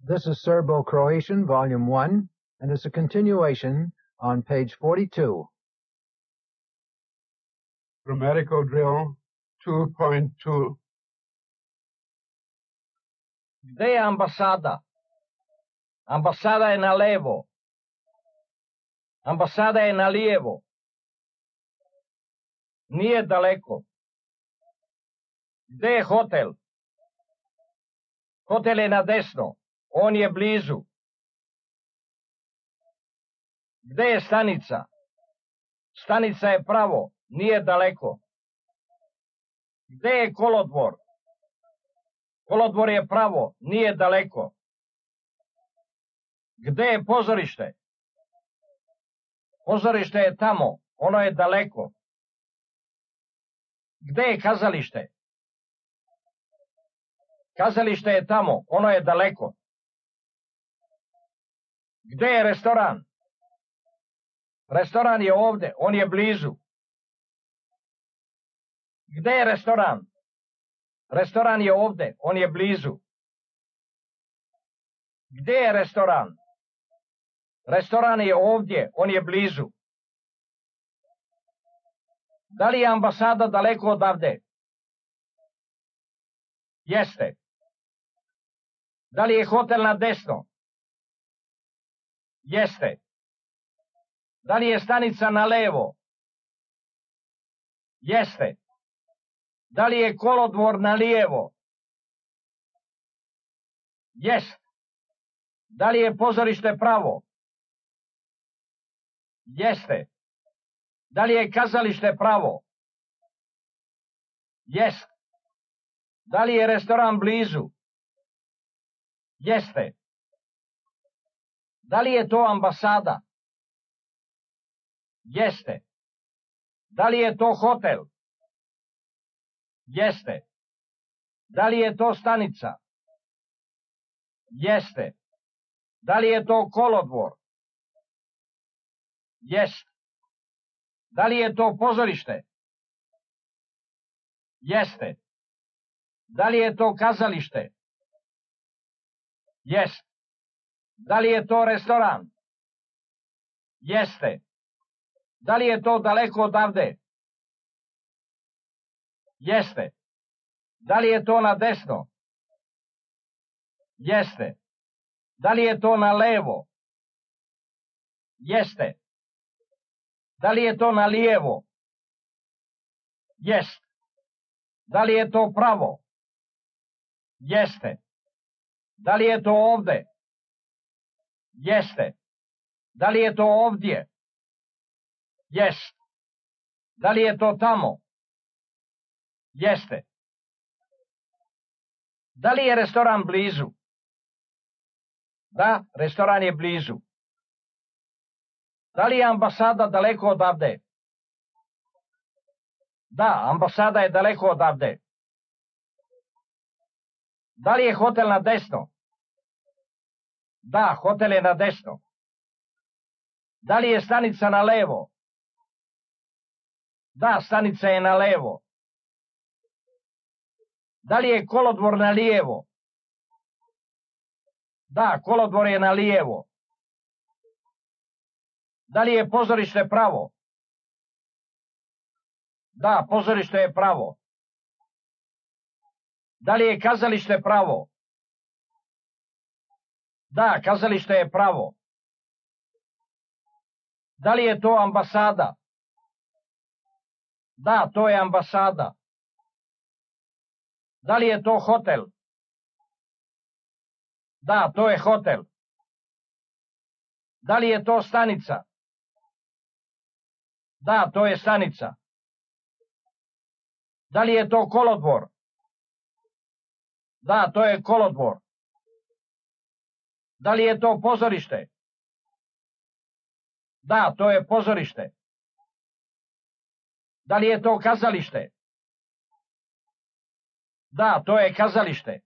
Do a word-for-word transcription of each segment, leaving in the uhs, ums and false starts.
This is Serbo-Croatian, Volume one, and it's a continuation on page forty-two. Grammatical drill two point two. Gde je ambasada? Ambasada je na levo. Ambasada je na lijevo. Nije daleko. Gde je hotel? Hotel je na desno. On je blizu. Gde je stanica? Stanica je pravo. Nije daleko. Gde je kolodvor? Kolodvor je pravo. Nije daleko. Gde je pozorište? Pozorište je tamo. Ono je daleko. Gde je kazalište? Kazalište je tamo. Ono je daleko. Gde je restoran? Restoran je ovde. On je blizu. Gde je restoran? Restoran je ovde. On je blizu. Gde je restoran? Restoran je ovdje. On je blizu. Da li je ambasada daleko odavde? Jeste. Da li je hotel na desno? Jeste. Da li je stanica na levo? Jeste. Da li je kolodvor na lijevo? Jest. Da li je pozorište pravo? Jeste. Da li je kazalište pravo? Jest. Da li je restoran blizu? Jeste. Da li je to ambasada? Jeste. Da li je to hotel? Jeste. Da li je to stanica? Jeste. Da li je to kolodvor? Jeste. Da li je to pozorište? Jeste. Da li je to kazalište? Jeste. Da li je to restoran? Jeste. Da li je to daleko odavde? Jeste. Da li je to na desno? Jeste. Da li je to na levo? Jeste. Da li je to na lijevo? Jeste. Da li je to pravo? Jeste. Da li je to ovde? Jeste. Da li je to ovdje? Jeste. Da li je to tamo? Jeste. Da li je restoran blizu? Da, restoran je blizu. Da li je ambasada daleko odavde? Da, ambasada je daleko odavde. Da li je hotel na desno? Da, hotel je na desno. Da li je stanica na levo? Da, stanica je na levo. Da li je kolodvor na lijevo? Da, kolodvor je na lijevo. Da li je pozorište pravo? Da, pozorište je pravo. Da li je kazalište pravo? Da, kazalište je pravo. Da li je to ambasada? Da, to je ambasada. Da li je to hotel? Da, to je hotel. Da li je to stanica? Da, to je stanica. Da li je to kolodvor? Da, to je kolodvor. Da li je to pozorište? Da, to je pozorište. Da li je to kazalište? Da, to je kazalište.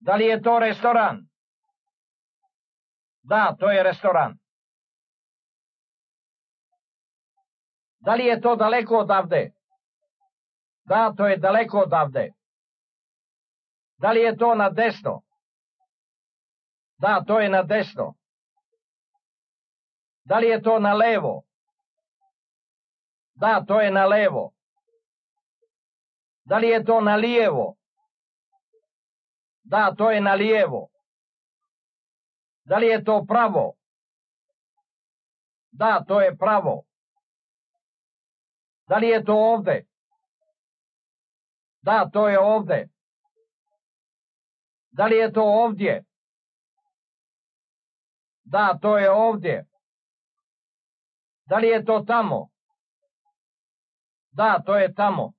Da li je to restoran? Da, to je restoran. Da li je to daleko odavde? Da, to je daleko odavde. Da li je to na desno? Da, to je na desno. Da li je to na levo? Da, to je na levo. Da li je to na lijevo? Da, to je na lijevo. Da li je to pravo? Da, to je pravo. Da li je to ovde? Da, to je ovde. Da li je to ovdje? Da, to je ovdje. Da li je to tamo? Da, to je tamo.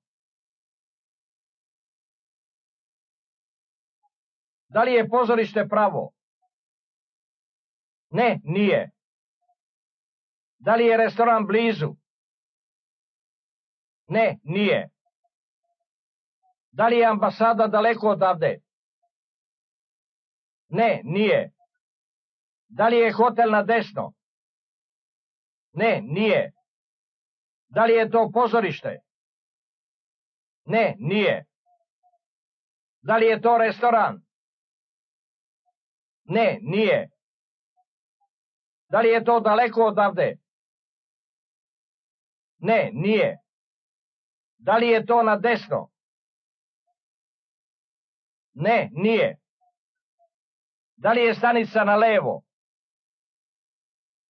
Da li je pozorište pravo? Ne, nije. Da li je restoran blizu? Ne, nije. Da li je ambasada daleko odavde? Ne, nije. Da li je hotel na desno? Ne, nije. Da li je to pozorište? Ne, nije. Da li je to restoran? Ne, nije. Da li je to daleko odavde? Ne, nije. Da li je to na desno? Ne, nije. Da li je stanica na levo?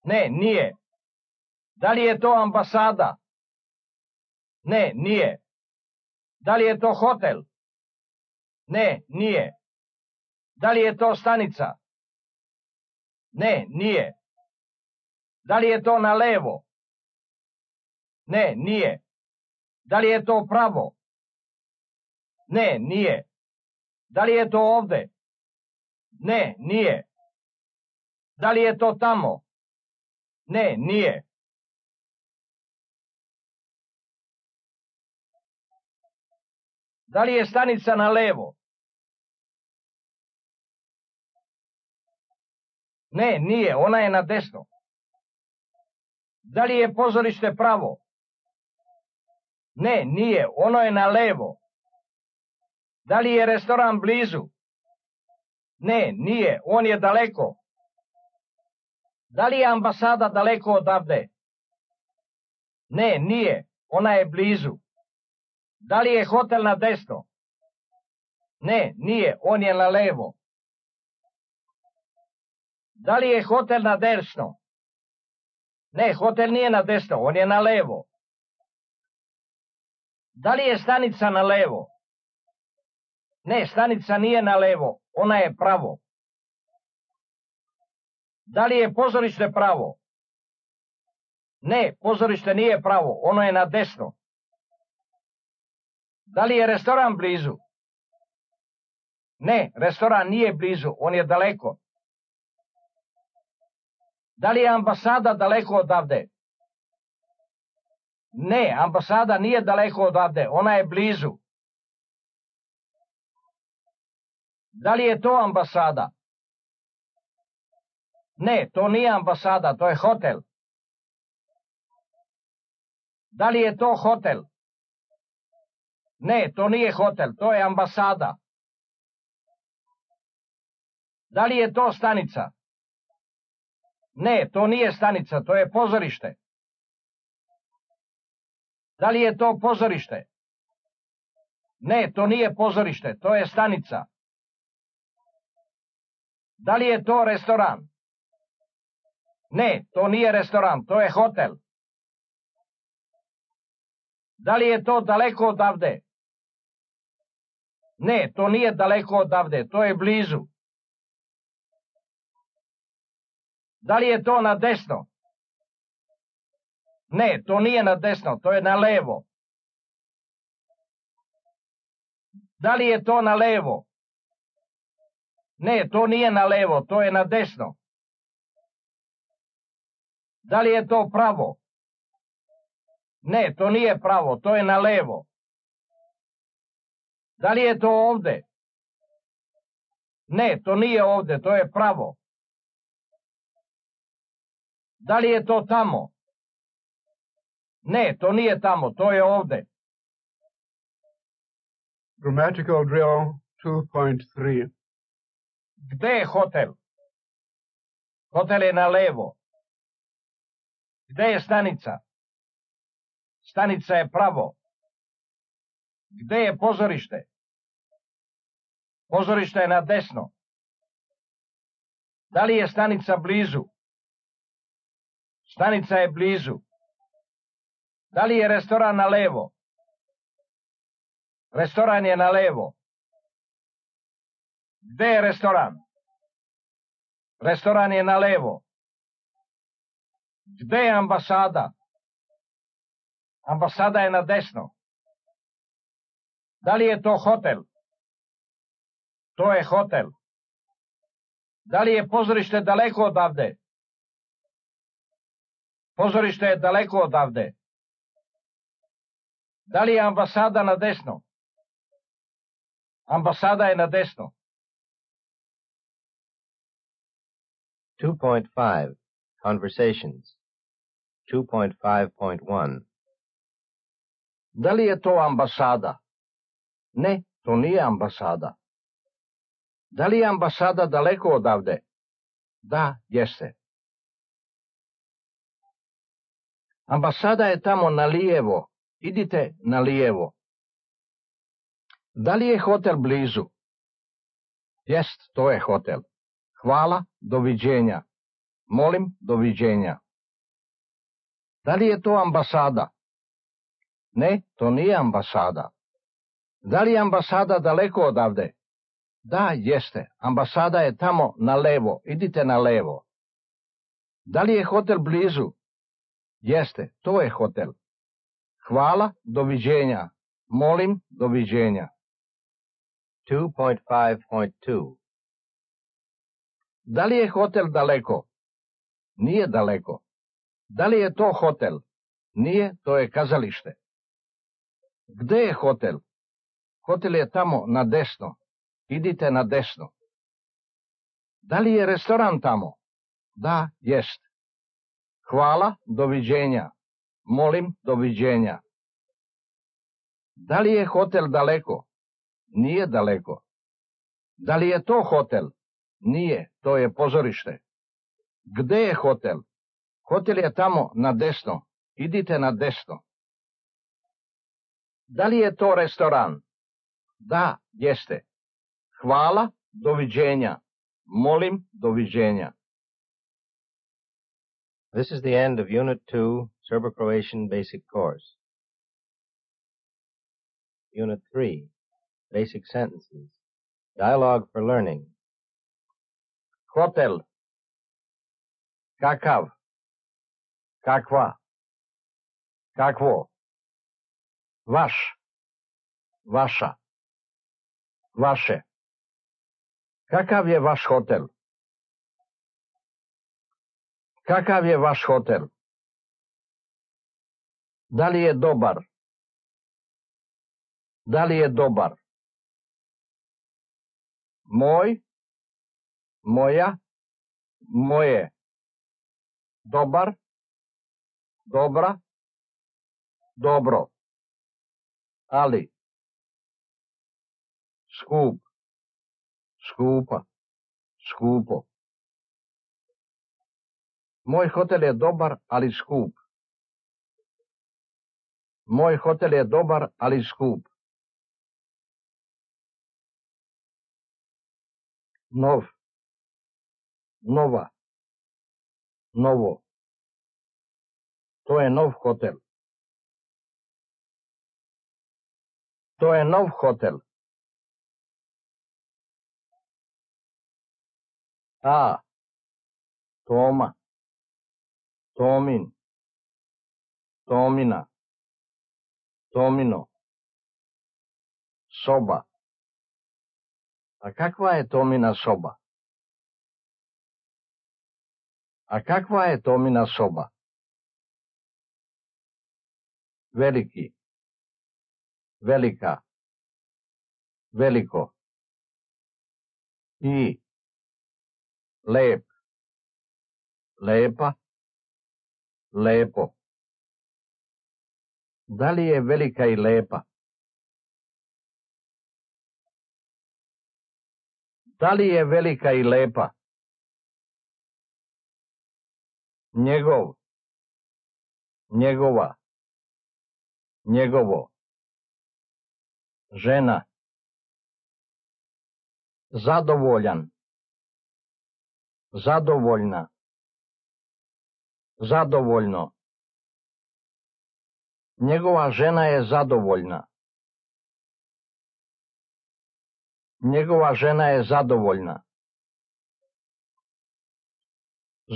Ne, nije. Da li je to ambasada? Ne, nije. Da li je to hotel? Ne, nije. Da li je to stanica? Ne, nije. Da li je to na levo? Ne, nije. Da li je to pravo? Ne, nije. Da li je to ovde? Ne, nije. Da li je to tamo? Ne, nije. Da li je stanica na levo? Ne, nije, ona je na desno. Da li je pozorište pravo? Ne, nije, ono je na levo. Da li je restoran blizu? Ne, nije, on je daleko. Da li je ambasada daleko odavde? Ne, nije, ona je blizu. Da li je hotel na desno? Ne, nije, on je na levo. Da li je hotel na desno? Ne, hotel nije na desno, on je na levo. Da li je stanica na levo? Ne, stanica nije na levo, ona je pravo. Da li je pozorište pravo? Ne, pozorište nije pravo, ono je na desno. Da li je restoran blizu? Ne, restoran nije blizu, on je daleko. Da li je ambasada daleko odavde? Ne, ambasada nije daleko odavde, ona je blizu. Da li je to ambasada? Ne, to nije ambasada, to je hotel. Da li je to hotel? Ne, to nije hotel, to je ambasada. Da li je to stanica? Ne, to nije stanica, to je pozorište. Da li je to pozorište? Ne, to nije pozorište, to je stanica. Da li je to restoran? Ne, to nije restoran, to je hotel. Da li je to daleko odavde? Ne, to nije daleko odavde, to je blizu. Da li je to na desno? Ne, to nije na desno, to je na levo. Da li je to na levo? Ne, to nije na levo, to je na desno. Da li je to pravo? Ne, to nije pravo, to je na levo. Da li je to ovde? Ne, to nije ovde, to je pravo. Da li je to tamo? Ne, to nije tamo, to je ovde. Grammatical drill two point three. Gde je hotel? Hotel je na levo. Gde je stanica? Stanica je pravo. Gde je pozorište? Pozorište je na desno. Da li je stanica blizu? Stanica je blizu. Da li je restoran na levo? Restoran je na levo. Gde je restoran? Restoran je na levo. Gde je ambasada? Ambasada je na desno. Da li je to hotel? To je hotel. Da li je pozorište daleko odavde? Pozorište je daleko odavde. Da li je ambasada na desno? Ambasada je na desno. two point five. Conversations. two point five point one. Da li je to ambasada? Ne, to nije ambasada. Da li je ambasada daleko odavde? Da, jeste. Ambasada je tamo na lijevo. Idite na lijevo. Da li je hotel blizu? Jest, to je hotel. Hvala, doviđenja. Molim, doviđenja. Da li je to ambasada? Ne, to nije ambasada. Da li je ambasada daleko odavde? Da, jeste. Ambasada je tamo na levo. Idite na levo. Da li je hotel blizu? Jeste, to je hotel. Hvala, doviđenja. Molim, doviđenja. two point five point two. Da li je hotel daleko? Nije daleko. Da li je to hotel? Nije, to je kazalište. Gde je hotel? Hotel je tamo na desno. Idite na desno. Da li je restoran tamo? Da, jest. Hvala, doviđenja. Molim, doviđenja. Da li je hotel daleko? Nije daleko. Da li je to hotel? Nije, to je pozorište. Gde je hotel? Hotel je tamo na desno. Idite na desno. Da li je to restoran? Da, jeste. Hvala, doviđenja. Molim, doviđenja. This is the end of Unit two, Serbo-Croatian Basic Course. Unit three, Basic Sentences. Dialogue for Learning. Hotel. Kakav. Kakva. Kakvo. Vaš. Vaša. Vaše. Kakav je vaš hotel? Kakav je vaš hotel? Da li je dobar? Da li je dobar? Moj? Moja? Moje. Dobar? Dobra? Dobro. Ali? Skup? Skupa? Skupo. Moj hotel je dobar, ali skup. Moj hotel je dobar, ali skup. Nov. Nova. Novo. To je nov hotel. To je nov hotel. A. Toma. Tomin. Tomina. Tomino. Soba. A kakva je Tomina soba? A kakva je Tomina soba? Veliki. Velika. Veliko. I. Lep. Lepa. Lepo. Da li je velika i lepa? Da li je velika i lepa? njegov, njegova, njegovo, žena, zadovoljan, zadovoljna, zadovoljno, njegova žena je zadovoljna, njegova žena je zadovoljna,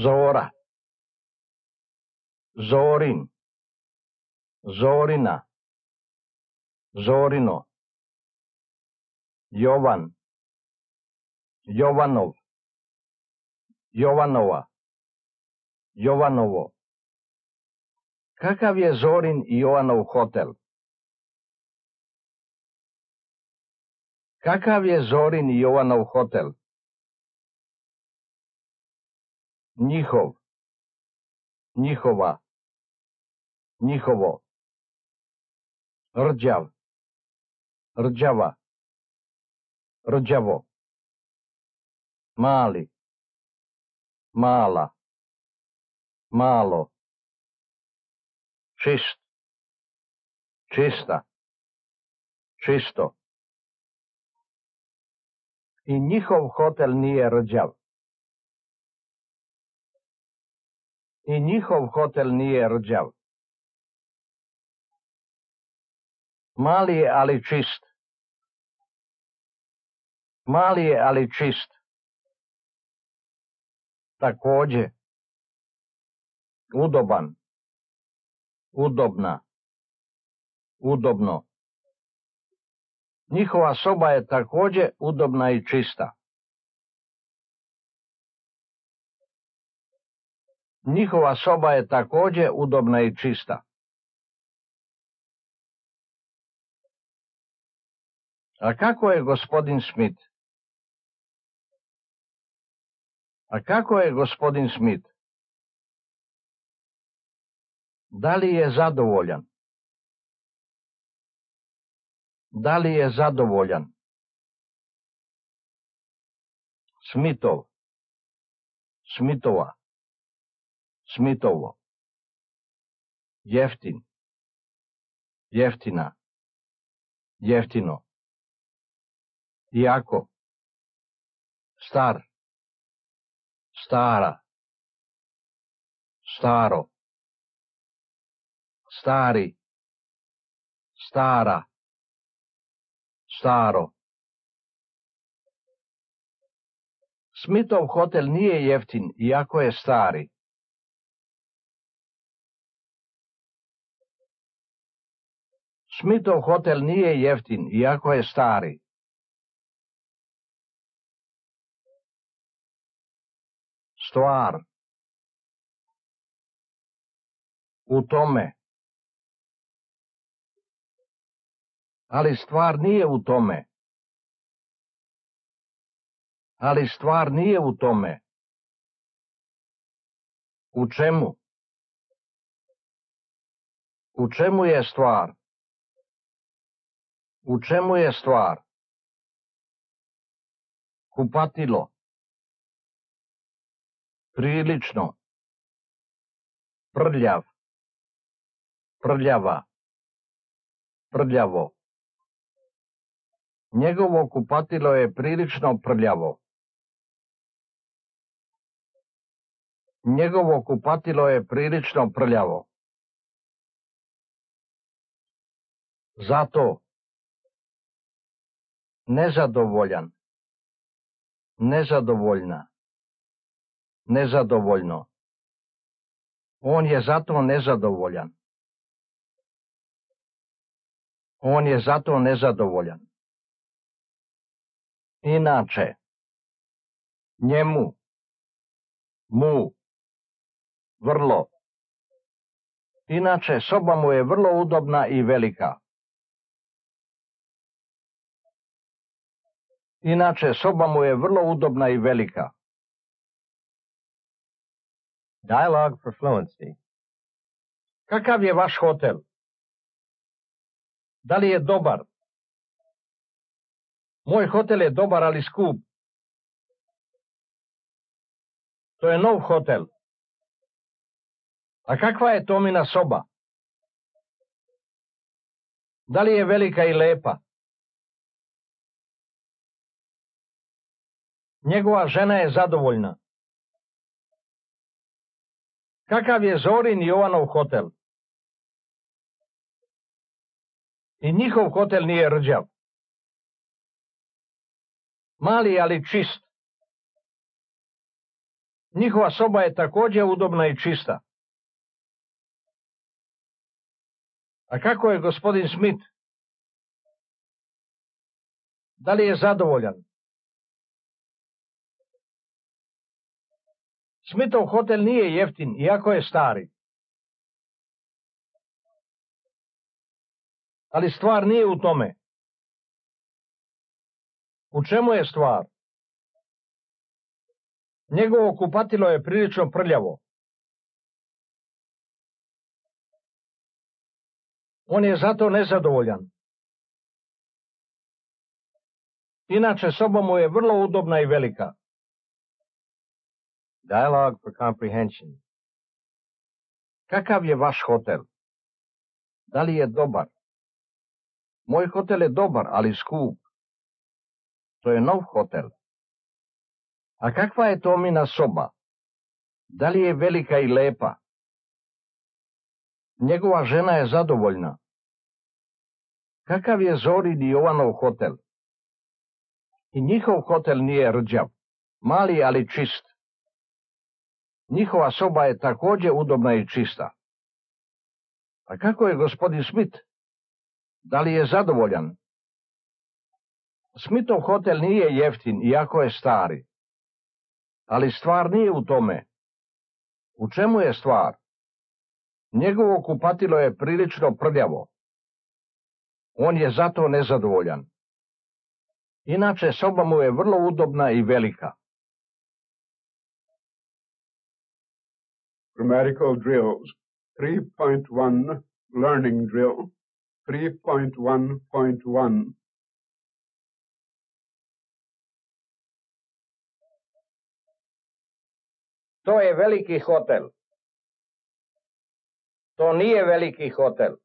Zora, Zorin, Zorina, Zorino, Jovan, Jovanov, Jovanova, Jovanovo. Kakav je Zorin i Jovanov hotel? Kakav je Zorin i Jovanov hotel? Njihov, njihova, njihovo, rđav, rđava, rđavo, mali, mala, malo, čist, čista, čisto. I njihov hotel nije rđav. I njihov hotel nije rđav. Mali je, ali čist. Mali je, ali čist. Takođe. Udoban. Udobna. Udobno. Njihova soba je takođe udobna i čista. Njihova soba je takođe udobna i čista. A kako je gospodin Smith? A kako je gospodin Smith? Da li je zadovoljan? Da li je zadovoljan? Smithov, Smithova, Smithovo. Jeftin, jeftina, jeftino. Iako, star, stara, staro, stari, stara, staro. Smithov hotel nije jeftin, iako je stari. Smithov hotel nije jeftin, iako je stari. Stvar. U tome. Ali stvar nije u tome. Ali stvar nije u tome. U čemu? U čemu je stvar? U čemu je stvar? Kupatilo. Prilično. Prljav. Prljava. Prljavo. Njegovo kupatilo je prilično prljavo. Njegovo kupatilo je prilično prljavo. Zato. Nezadovoljan. Nezadovoljna. Nezadovoljno. On je zato nezadovoljan. On je zato nezadovoljan. Inače. Njemu. Mu. Vrlo. Inače, soba mu je vrlo udobna i velika. Inače, soba mu je vrlo udobna i velika. Dialogue for fluency. Kakav je vaš hotel? Da li je dobar? Moj hotel je dobar, ali skup. To je nov hotel. A kakva je Tomina soba? Da li je velika i lepa? Njegova žena je zadovoljna. Kakav je Zorin i Jovanov hotel? I njihov hotel nije rđav. Mali, ali čist. Njihova soba je također udobna i čista. A kako je gospodin Smith? Da li je zadovoljan? Smithov hotel nije jeftin, iako je stari. Ali stvar nije u tome. U čemu je stvar? Njegovo kupatilo je prilično prljavo. On je zato nezadovoljan. Inače, soba mu je vrlo udobna i velika. Dialogue for comprehension. Kakav je vaš hotel? Da li je dobar? Moj hotel je dobar, ali skup. To je nov hotel. A kakva je Tomina soba? Da li je velika i lepa? Njegova žena je zadovoljna. Kakav je Zorin i Jovanov hotel? I njihov hotel nije rđav, mali ali čist. Njihova soba je također udobna i čista. A kako je gospodin Smith? Da li je zadovoljan? Smithov hotel nije jeftin, iako je stari. Ali stvar nije u tome. U čemu je stvar? Njegovo kupatilo je prilično prljavo. On je zato nezadovoljan. Inače, soba mu je vrlo udobna i velika. Grammatical drills. three point one Learning drill. three point one point one. To je veliki hotel. To nije veliki hotel.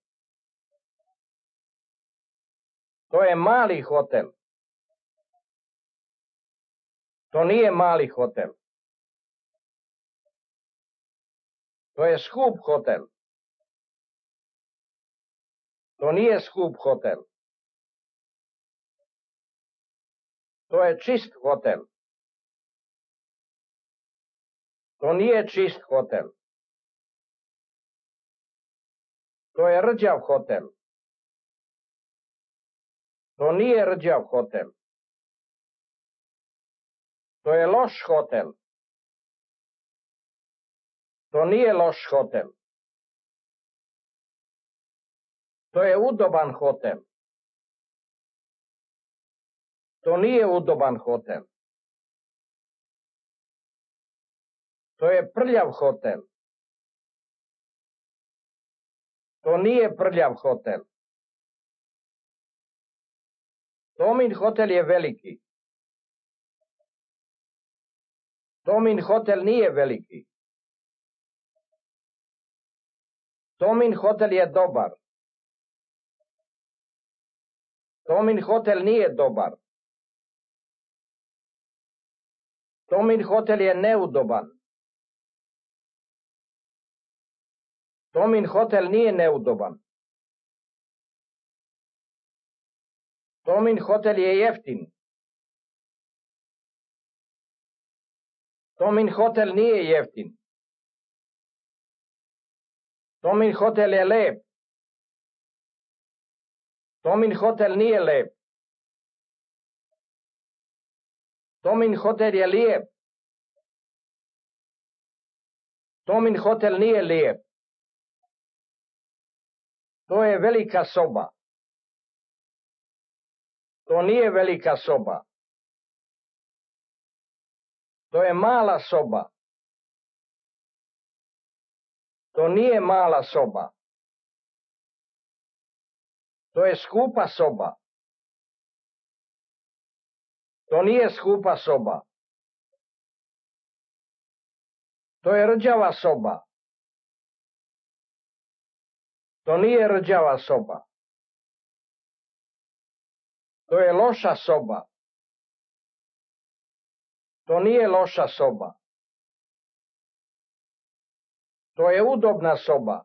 To je mali hotel. To nije mali hotel. To je skup hotel. To nije skup hotel. To je čist hotel. To nije čist hotel. To je rđav hotel. To nije rđav hotel. To je loš hotel. To nije loš hotel. To je udoban hotel. To nije udoban hotel. To je prljav hotel. To nije prljav hotel. Tomin hotel je veliki. Tomin hotel nije veliki. Tomin hotel je dobar. Tomin hotel nije dobar. Tomin hotel je neudoban. Tomin hotel nije neudoban. Tomin hotel je jeftin. Tomin hotel nije jeftin. Tomin hotel je lep. Tomin hotel nije lep. Tomin hotel je lijep. Tomin hotel nije lijep. To je velika soba. To nije velika soba. To je mala soba. To nije mala soba. To je skupa soba. To nije skupa soba. To je rđava soba. To nije rđava soba. To je loša soba. To nije loša soba. To je udobna soba.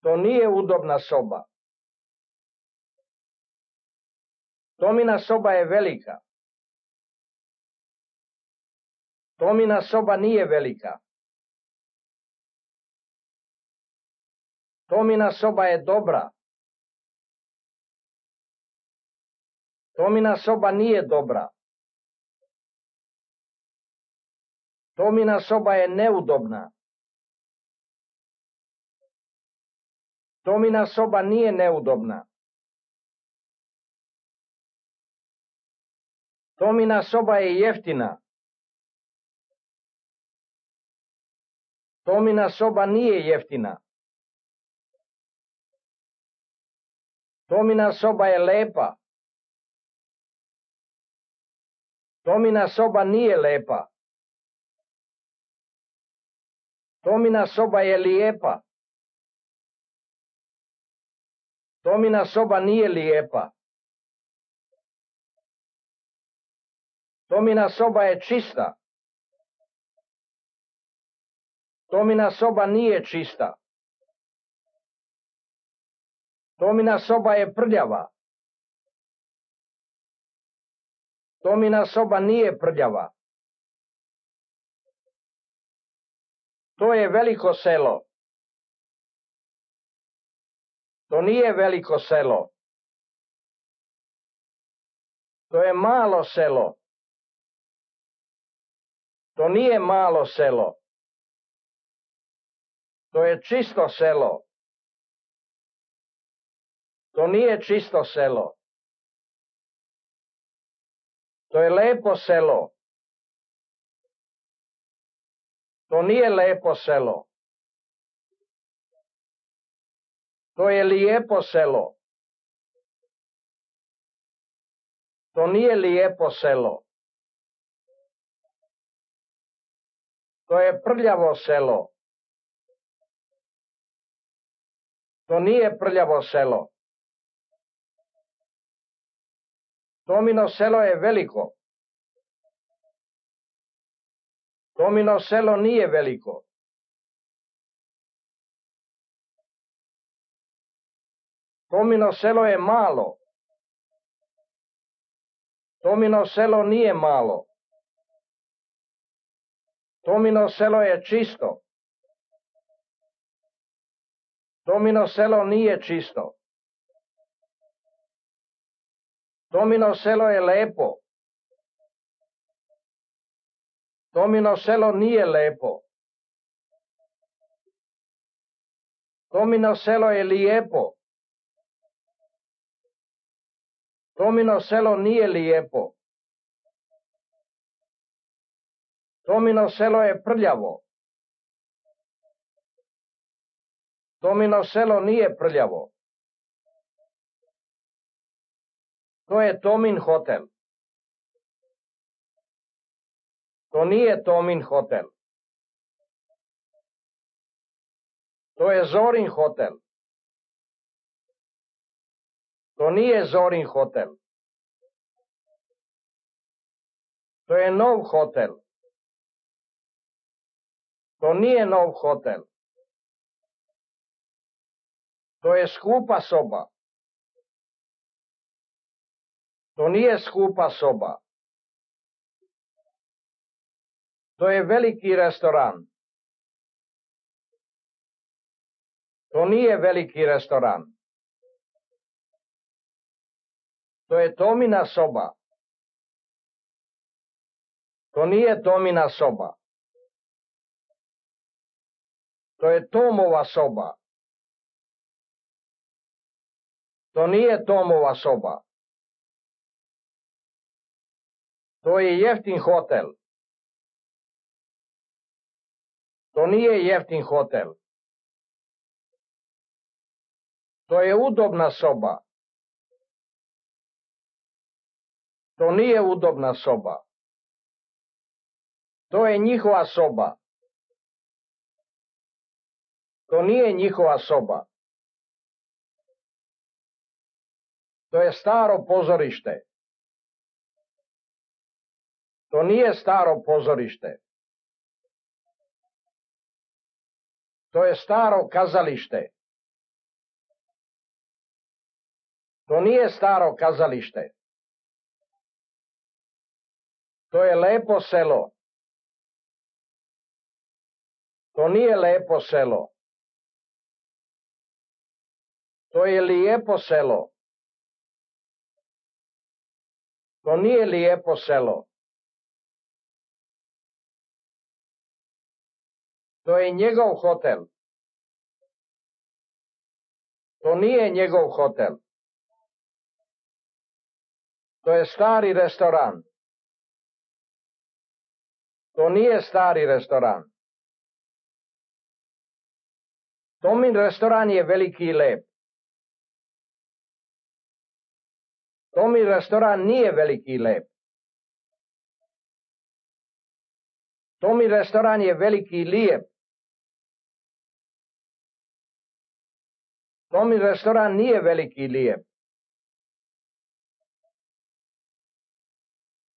To nije udobna soba. Tomina soba je velika. Tomina soba nije velika. Tomina soba je dobra. Tomina soba nije dobra. Tomina soba je neudobna. Tomina soba nije neudobna. Tomina soba je jeftina. Tomina soba nije jeftina. Tomina soba je lepa. Tomina soba nije lepa. Tomina soba je lijepa. Tomina soba nije lijepa. Tomina soba je čista. Tomina soba nije čista. Tomina soba je prljava. Tomina soba nije prljava. To je veliko selo. To nije veliko selo. To je malo selo. To nije malo selo. To je čisto selo. To nije čisto selo. To je lepo selo. To nije lepo selo. To je lijepo selo. To nije lijepo selo. To je prljavo selo. To nije prljavo selo. Tomino selo je veliko. Tomino selo nije veliko. Tomino selo je malo. Tomino selo nije malo. Tomino selo je čisto. Tomino selo nije čisto. Tomino selo je lepo. Tomino selo nije lepo. Tomino selo je lijepo. Tomino selo nije lijepo. Tomino selo je prljavo. Tomino selo nije prljavo. To je Tomin hotel. To nije Tomin hotel. To je Zorin hotel. To nije Zorin hotel. To je nov hotel. To nije nov hotel. To je skupa soba. To nije skupa soba. To je veliki restoran. To nije veliki restoran. To je Tomina soba. To nije Tomina soba. To je Tomova soba. To nije Tomova soba. To je jeftin hotel. To nije jeftin hotel. To je udobna soba. To nije udobna soba. To je njihova soba. To nije njihova soba. To je staro pozorište. To nije staro pozorište. To je staro kazalište. To nije staro kazalište. To je lepo selo. To nije lepo selo. To je lijepo selo. To nije lijepo selo. To je njegov hotel. To nije njegov hotel. To je stari restoran. To nije stari restoran. Tomin restoran je veliki i lep. Tomin restoran nije veliki i lep. Tomin restoran je veliki i lijep. Tomin restoran nije veliki i lijep.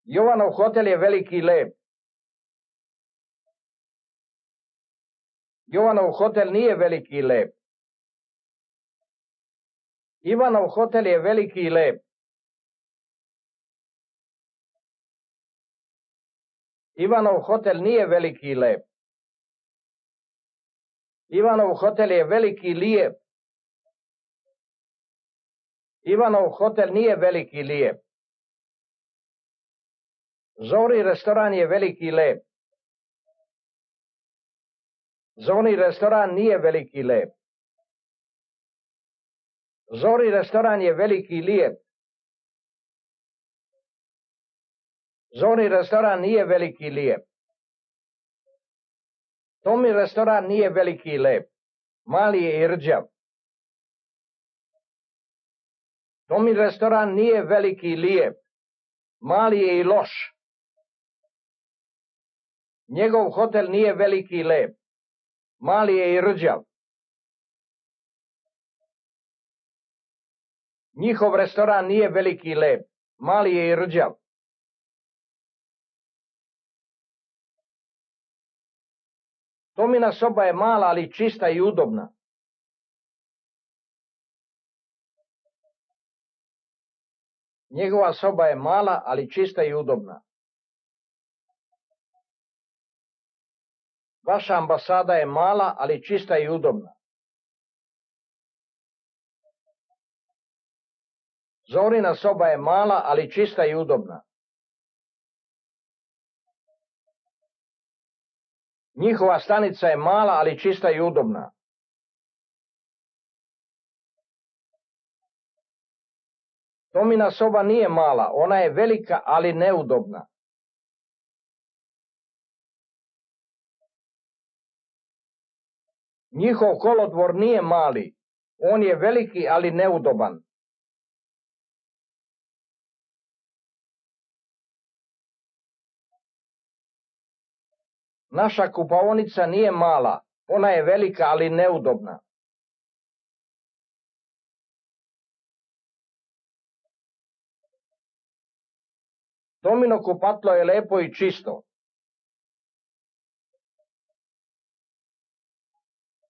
Jovanov hotel je veliki i lep. Jovanov hotel nije veliki i lep. Ivanov hotel je veliki i lep. Ivanov hotel nije veliki i lep. Ivanov hotel je veliki i lijep. Ivanov hotel nije veliki i lijep. Zori restoran je veliki i lep. Zori restoran nije veliki i lep. Zori restoran je veliki i lijep. Zori restoran nije veliki i lijep. Tomi restoran nije veliki i lep. Mali je i rđav. Tomi restoran nije veliki i lijep. Mali je i loš. Njegov hotel nije veliki i lep. Mali je i rđav. Njihov restoran nije veliki i lep. Mali je i rđav. Tomina soba je mala, ali čista i udobna. Njegova soba je mala, ali čista i udobna. Vaša ambasada je mala, ali čista i udobna. Zorina soba je mala, ali čista i udobna. Njihova stanica je mala, ali čista i udobna. Tomina soba nije mala, ona je velika, ali neudobna. Njihov kolodvor nije mali, on je veliki, ali neudoban. Naša kupaonica nije mala, ona je velika, ali neudobna. Tomino kupatlo je lepo i čisto.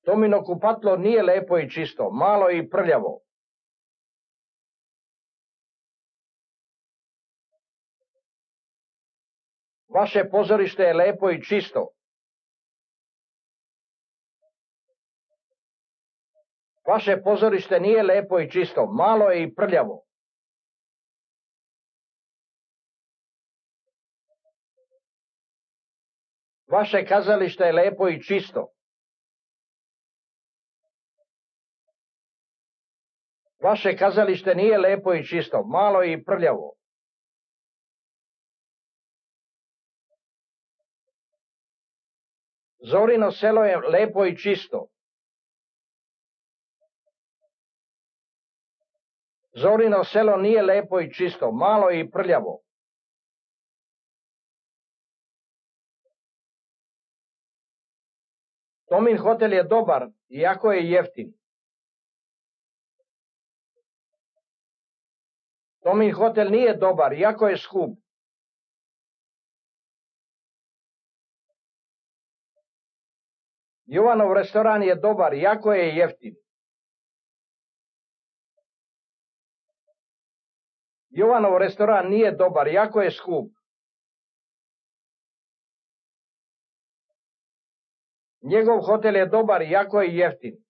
Tomino kupatlo nije lepo i čisto, malo i prljavo. Vaše pozorište je lepo i čisto. Vaše pozorište nije lepo i čisto, malo je i prljavo. Vaše kazalište je lepo i čisto. Vaše kazalište nije lepo i čisto, malo je i prljavo. Zorino selo je lepo i čisto. Zorino selo nije lepo i čisto, malo je i prljavo. Tomin hotel je dobar, iako je jeftin. Tomin hotel nije dobar, iako je skup. Jovanov restoran je dobar, iako je jeftin. Jovanov restoran nije dobar, iako je skup. Njegov hotel je dobar, iako je jeftin.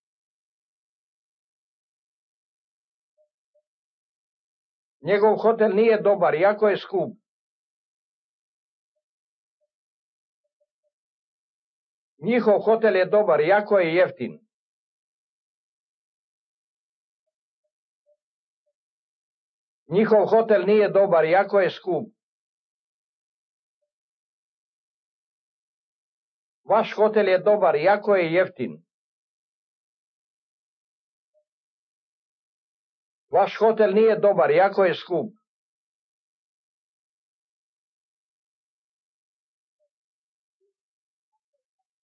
Njegov hotel nije dobar, iako je skup. Njihov hotel je dobar, iako je jeftin. Njihov hotel nije dobar, iako je skup. Vaš hotel je dobar, iako je jeftin. Vaš hotel nije dobar, iako je skup.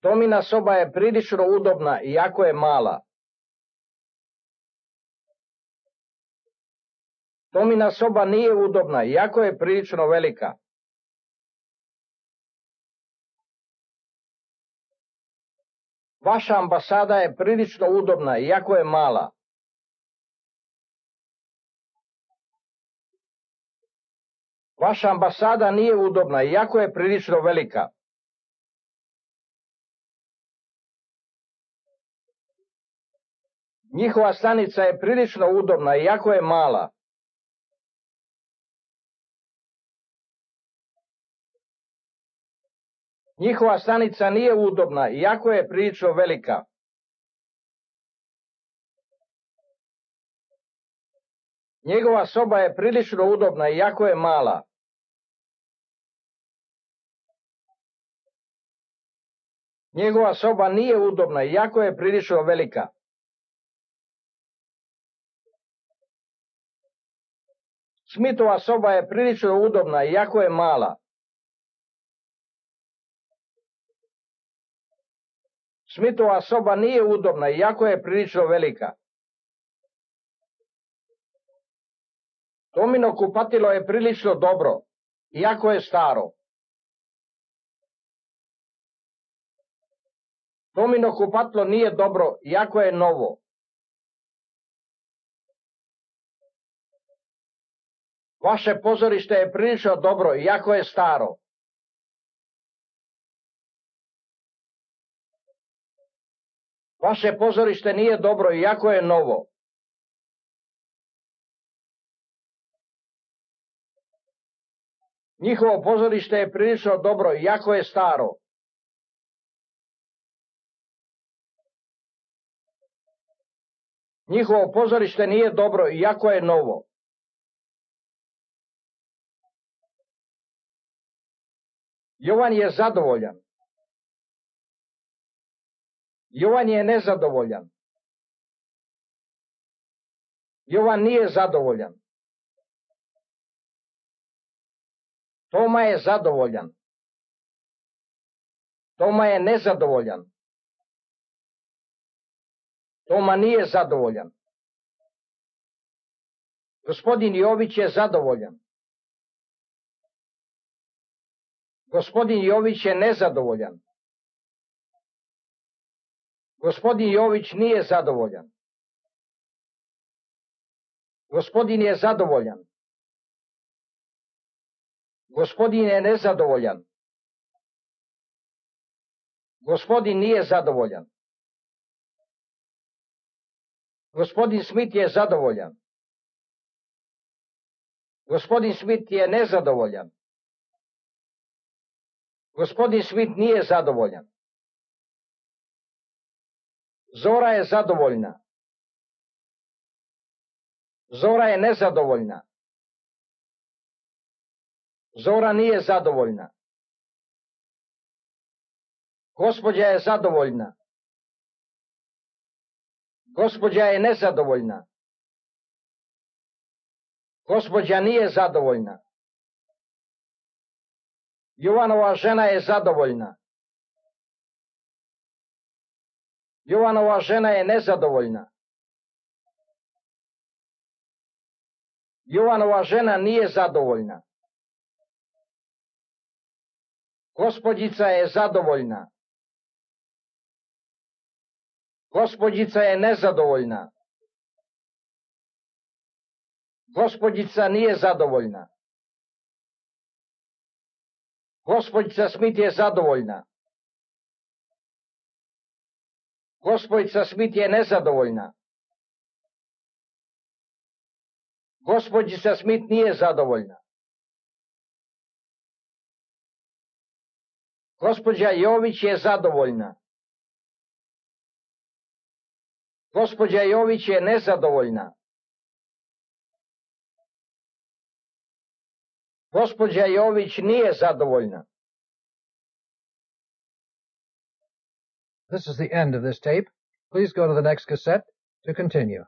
Tomina soba je prilično udobna, iako je mala. Tomina soba nije udobna, iako je prilično velika. Vaša ambasada je prilično udobna, iako je mala. Vaša ambasada nije udobna, iako je prilično velika. Njihova stanica je prilično udobna, iako je mala. Njihova stanica nije udobna, iako je prilično velika. Njegova soba je prilično udobna, iako je mala. Njegova soba nije udobna, iako je prilično velika. Smithova soba je prilično udobna, iako je mala. Smithova soba nije udobna, iako je prilično velika. Tomino kupatilo je prilično dobro, iako je staro. Tomino kupatilo nije dobro, iako je novo. Vaše pozorište je prilično dobro, iako je staro. Vaše pozorište nije dobro, iako je novo. Njihovo pozorište je prilično dobro, iako je staro. Njihovo pozorište nije dobro, iako je novo. Jovan je zadovoljan. Jovan je nezadovoljan. Jovan nije zadovoljan. Toma je zadovoljan. Toma je nezadovoljan. Toma nije zadovoljan. Gospodin Jović je zadovoljan. Gospodin Jović je nezadovoljan. Gospodin Jović nije zadovoljan. Gospodin je zadovoljan. Gospodin je nezadovoljan. Gospodin nije zadovoljan. Gospodin Smith je zadovoljan. Gospodin Smith je nezadovoljan. Gospodin Smith nije zadovoljan. Zora je zadovoljna. Zora je nezadovoljna. Zora nije zadovoljna. Gospođa je zadovoljna. Gospođa je nezadovoljna. Gospođa nije zadovoljna. Jovanova žena je zadovoljna. Jovanova žena je nezadovoljna. Jovanova žena nije zadovoljna. Gospođica je zadovoljna. Gospođica je nezadovoljna. Gospođica nije zadovoljna. Gospođica Smith je zadovoljna. Gospođica Smith je nezadovoljna. Gospođica Smith nije zadovoljna. Gospođa Jović je zadovoljna. Gospođa Jović je nezadovoljna. Gospođa Jović nije zadovoljna. This is the end of this tape. Please go to the next cassette to continue.